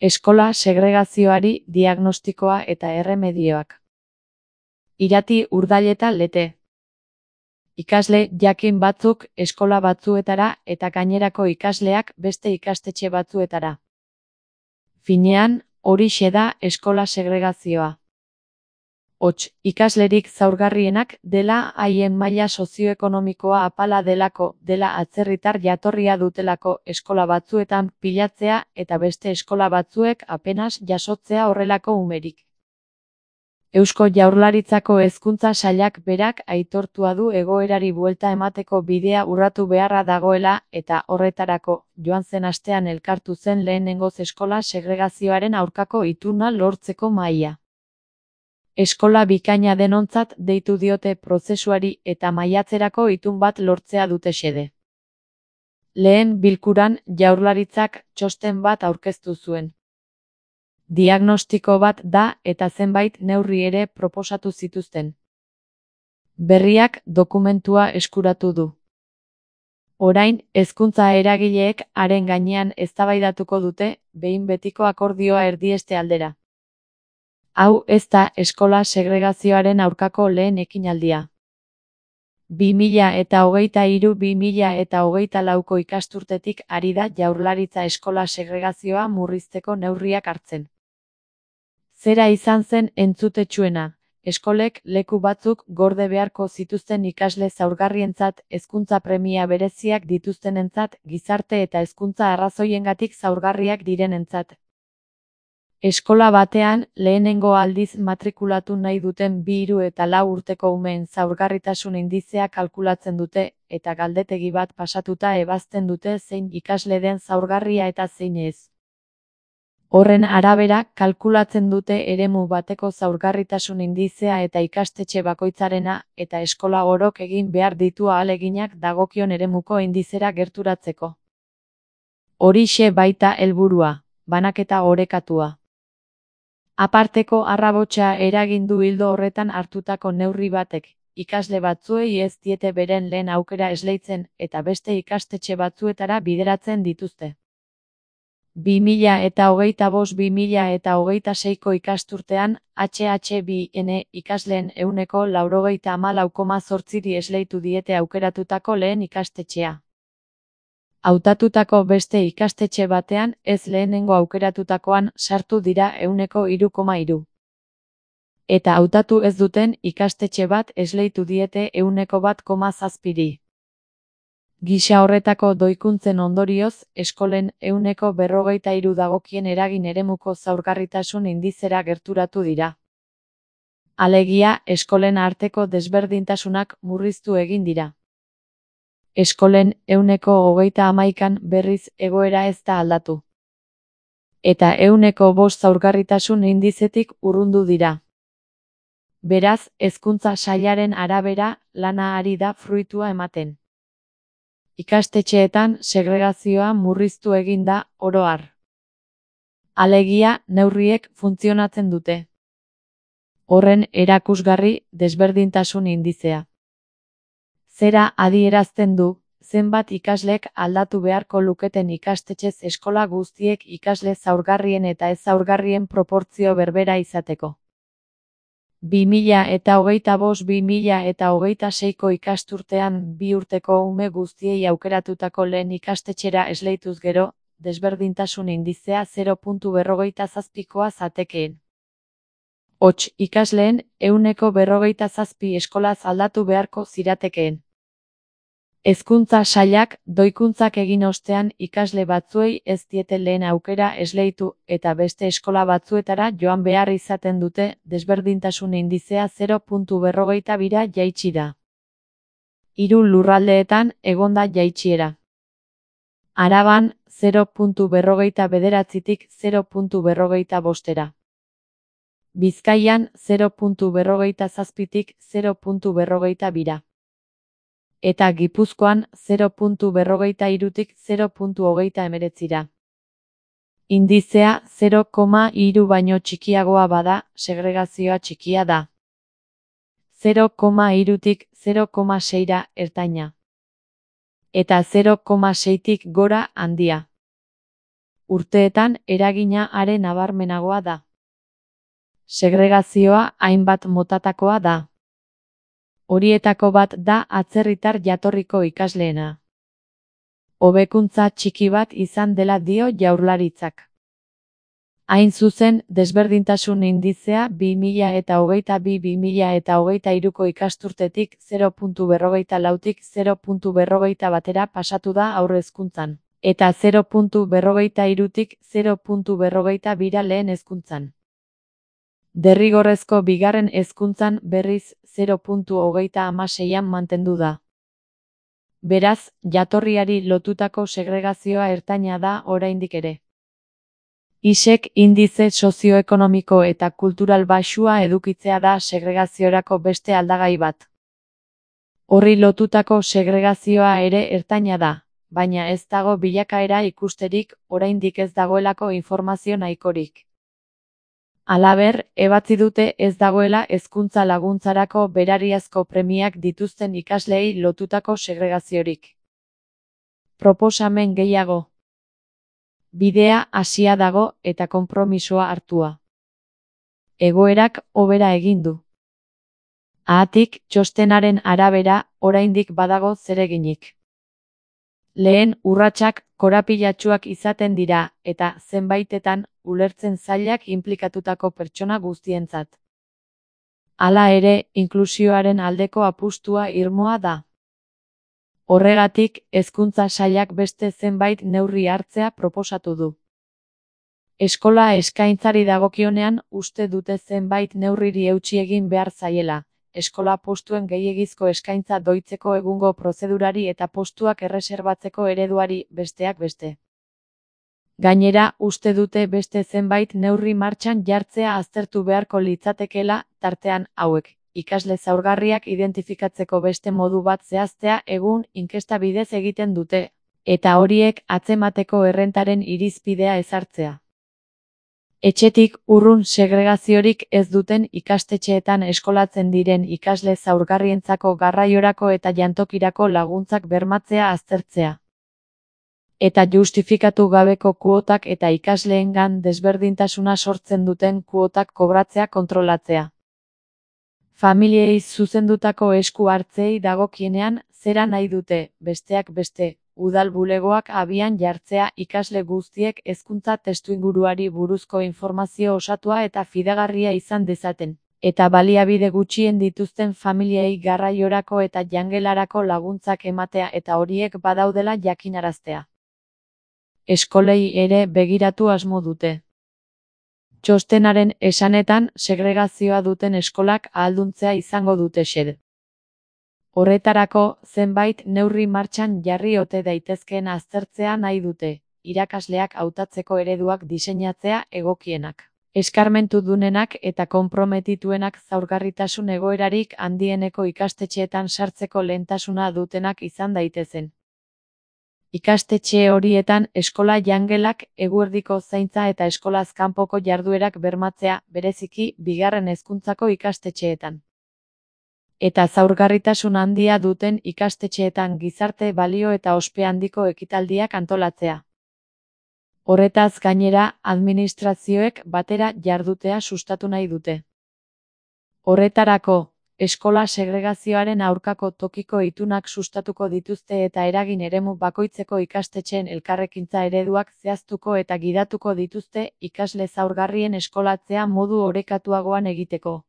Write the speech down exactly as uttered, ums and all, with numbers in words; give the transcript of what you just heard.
Eskola segregazioari diagnostikoa eta erremedioak. Irati Urdaileta Lete. Ikasle jakin batzuk eskola batzuetara eta gainerako ikasleak beste ikastetxe batzuetara. Finean, horixe da eskola segregazioa. Hots, ikaslerik zaurgarrienak dela haien maila sozioekonomikoa apala delako, dela atzerritar jatorria dutelako eskola batzuetan pilatzea eta beste eskola batzuek apenas jasotzea horrelako umerik. Eusko Jaurlaritzako Hezkuntza Sailak berak aitortua du egoerari buelta emateko bidea urratu beharra dagoela eta horretarako, joan zen astean elkartu zen lehenengoz eskola segregazioaren aurkako ituna lortzeko mahaia. Eskola bikaina denontzat deitu diote prozesuari eta maiatzerako itun bat lortzea dute xede. Lehen bilkuran Jaurlaritzak txosten bat aurkeztu zuen. Diagnostiko bat da eta zenbait neurri ere proposatu zituzten. Berriak dokumentua eskuratu du. Orain, hezkuntza eragileek haren gainean eztabaidatuko dute, behin betiko akordioa erdieste aldera. Hau ez da eskola segregazioaren aurkako lehen ekinaldia. bi mila hogeita hiru bi mila hogeita lauko ikasturtetik ari da Jaurlaritza eskola segregazioa murrizteko neurriak hartzen. Zera izan zen entzutetsuena, eskolek leku batzuk gorde beharko zituzten ikasle zaurgarrientzat, hezkuntza premia bereziak dituztenentzat, gizarte eta hezkuntza arrazoiengatik zaurgarriak direnentzat. Eskola batean, lehenengo aldiz matrikulatu nahi duten bi hiru eta lau urteko umeen zaurgarritasun indizea kalkulatzen dute, eta galdetegi bat pasatuta ebazten dute zein ikasle den zaurgarria eta zein ez. Horren arabera, kalkulatzen dute eremu bateko zaurgarritasun indizea eta ikastetxe bakoitzarena, eta eskola orok egin behar ditu ahaleginak dagokion eremuko indizera gerturatzeko. Horixe baita helburua, banaketa orekatua. Aparteko arrabotsa eragin du ildo horretan hartutako neurri batek, ikasle batzuei ez diete beren lehen aukera esleitzen eta beste ikastetxe batzuetara bideratzen dituzte. bi mila hogeita bost bi mila hogeita seiko ikasturtean, H H bi N ikasleen ehuneko laurogeita hamalau koma zortziri esleitu diete aukeratutako lehen ikastetxea. Hautatutako beste ikastetxe batean, ez lehenengo aukeratutakoan, sartu dira ehuneko hiru koma hiru. Eta hautatu ez duten ikastetxe bat esleitu diete ehuneko bat koma zazpiri. Gisa horretako doikuntzen ondorioz, eskolen ehuneko berrogeita hiru dagokien eragin eremuko zaurgarritasun indizera gerturatu dira. Alegia, eskolen arteko desberdintasunak murriztu egin dira. Eskolen ehuneko hogeita hamaikan berriz egoera ez da aldatu. Eta ehuneko bost zaurgarritasun indizetik urrundu dira. Beraz, hezkuntza sailaren arabera, lana ari da fruitua ematen. Ikastetxeetan segregazioa murriztu egin da, oro har. Alegia, neurriek funtzionatzen dute. Horren erakusgarri, desberdintasun indizea. Zera adierazten du, zenbat ikaslek aldatu beharko luketen ikastetxez eskola guztiek ikasle zaurgarrien eta ez zaurgarrien proportzio berbera izateko. bi mila hogeita bost bi mila hogeita seiko ikasturtean bi urteko ume guztiei aukeratutako lehen ikastetxera esleituz gero, desberdintasun indizea zero koma berrogeita zazpikoa zatekeen. Hots, ikasleen ehuneko berrogeita zazpi eskolaz aldatu beharko ziratekeen. Hezkuntza sailak, doikuntzak egin ostean ikasle batzuei ez diete lehen aukera esleitu eta beste eskola batzuetara joan behar izaten dute, desberdintasun indizea zero koma berrogeita bira jaitsi da. Hiru lurraldeetan egonda jaitsiera. Araban, zero koma berrogeita bederatzitik zero koma berrogeita bostera. Bizkaian, zero koma berrogeita zazpitik zero koma berrogeita bira. Eta Gipuzkoan zero koma berrogeita hirutik zero koma hogeita hemeretzira. Indizea zero koma hiru baino txikiagoa bada, segregazioa txikia da. zero koma hirutik zero koma seira ertaina. Eta zero koma seitik gora handia. urteetan eragina are nabarmenagoa da. Segregazioa hainbat motatakoa da. Horietako bat da atzerritar jatorriko ikasleena. Hobekuntza txiki bat izan dela dio Jaurlaritzak. Hain zuzen, desberdintasun indizea bi mila hogeita bi bi mila hogeita hiruko ikasturtetik zero koma berrogeita lautik zero koma berrogeita batera pasatu da haur hezkuntzan, eta zero koma berrogeita hirutik zero koma berrogeita bira lehen hezkuntzan. Derrigorrezko bigarren hezkuntzan berriz zero koma hogeita hamaseian mantendu da. Beraz, jatorriari lotutako segregazioa ertaina da oraindik ere. Isek indize sozioekonomiko eta kultural baxua edukitzea da segregaziorako beste aldagai bat. Horri lotutako segregazioa ere ertaina da, baina ez dago bilakaera ikusterik oraindik ez dagoelako informazio nahikorik. Halaber, ebatzi dute ez dagoela hezkuntza laguntzarako berariazko premiak dituzten ikasleei lotutako segregaziorik. Proposamen gehiago. Bidea hasia dago eta konpromisoa hartua. Egoerak hobera egin du. Haatik, txostenaren arabera, oraindik badago zereginik. Lehen urratsak korapilatsuak izaten dira, eta zenbaitetan ulertzen zailak inplikatutako pertsona guztientzat. Hala ere, inklusioaren aldeko apustua irmoa da. Horregatik, hezkuntza sailak beste zenbait neurri hartzea proposatu du. Eskola eskaintzari dagokionean uste dute zenbait neurriri eutsi egin behar zaiela, eskola postuen gehiegizko eskaintza doitzeko egungo prozedurari eta postuak erreserbatzeko ereduari besteak beste. Gainera, uste dute beste zenbait neurri martxan jartzea aztertu beharko litzatekeela, tartean hauek. Ikasle zaurgarriak identifikatzeko beste modu bat zehaztea egun inkesta bidez egiten dute, eta horiek atzemateko errentaren irizpidea ezartzea. Etxetik urrun segregaziorik ez duten ikastetxeetan eskolatzen diren ikasle zaurgarrientzako garraiorako eta jantokirako laguntzak bermatzea aztertzea. Eta justifikatu gabeko kuotak eta ikasleengan desberdintasuna sortzen duten kuotak kobratzea kontrolatzea. Familiei zuzendutako esku hartzei dagokienean zera nahi dute, besteak beste, udal bulegoak abian jartzea ikasle guztiek hezkuntza testuinguruari buruzko informazio osatua eta fidagarria izan dezaten, eta baliabide gutxien dituzten familiei garraiorako eta jangelarako laguntzak ematea eta horiek badaudela jakinaraztea. Eskolei ere begiratu asmo dute. Txostenaren esanetan segregazioa duten eskolak ahalduntzea izango dute xede. Horretarako, zenbait neurri martxan jarri ote daitezkeen aztertzea nahi dute, irakasleak hautatzeko ereduak diseinatzea egokienak, eskarmentu dunenak eta konprometituenak zaurgarritasun egoerarik handieneko ikastetxeetan sartzeko lehentasuna dutenak izan daitezen. Ikastetxe horietan eskola jangelak, eguerdiko zaintza eta eskolaz kanpoko jarduerak bermatzea, bereziki bigarren hezkuntzako ikastetxeetan. Eta zaurgarritasun handia duten ikastetxeetan gizarte balio eta ospe handiko ekitaldiak antolatzea. Horretaz gainera, administrazioek batera jardutea sustatu nahi dute. Horretarako, eskola segregazioaren aurkako tokiko itunak sustatuko dituzte eta eragin eremu bakoitzeko ikastetxeen elkarrekintza ereduak zehaztuko eta gidatuko dituzte ikasle zaurgarrien eskolatzea modu orekatuagoan egiteko.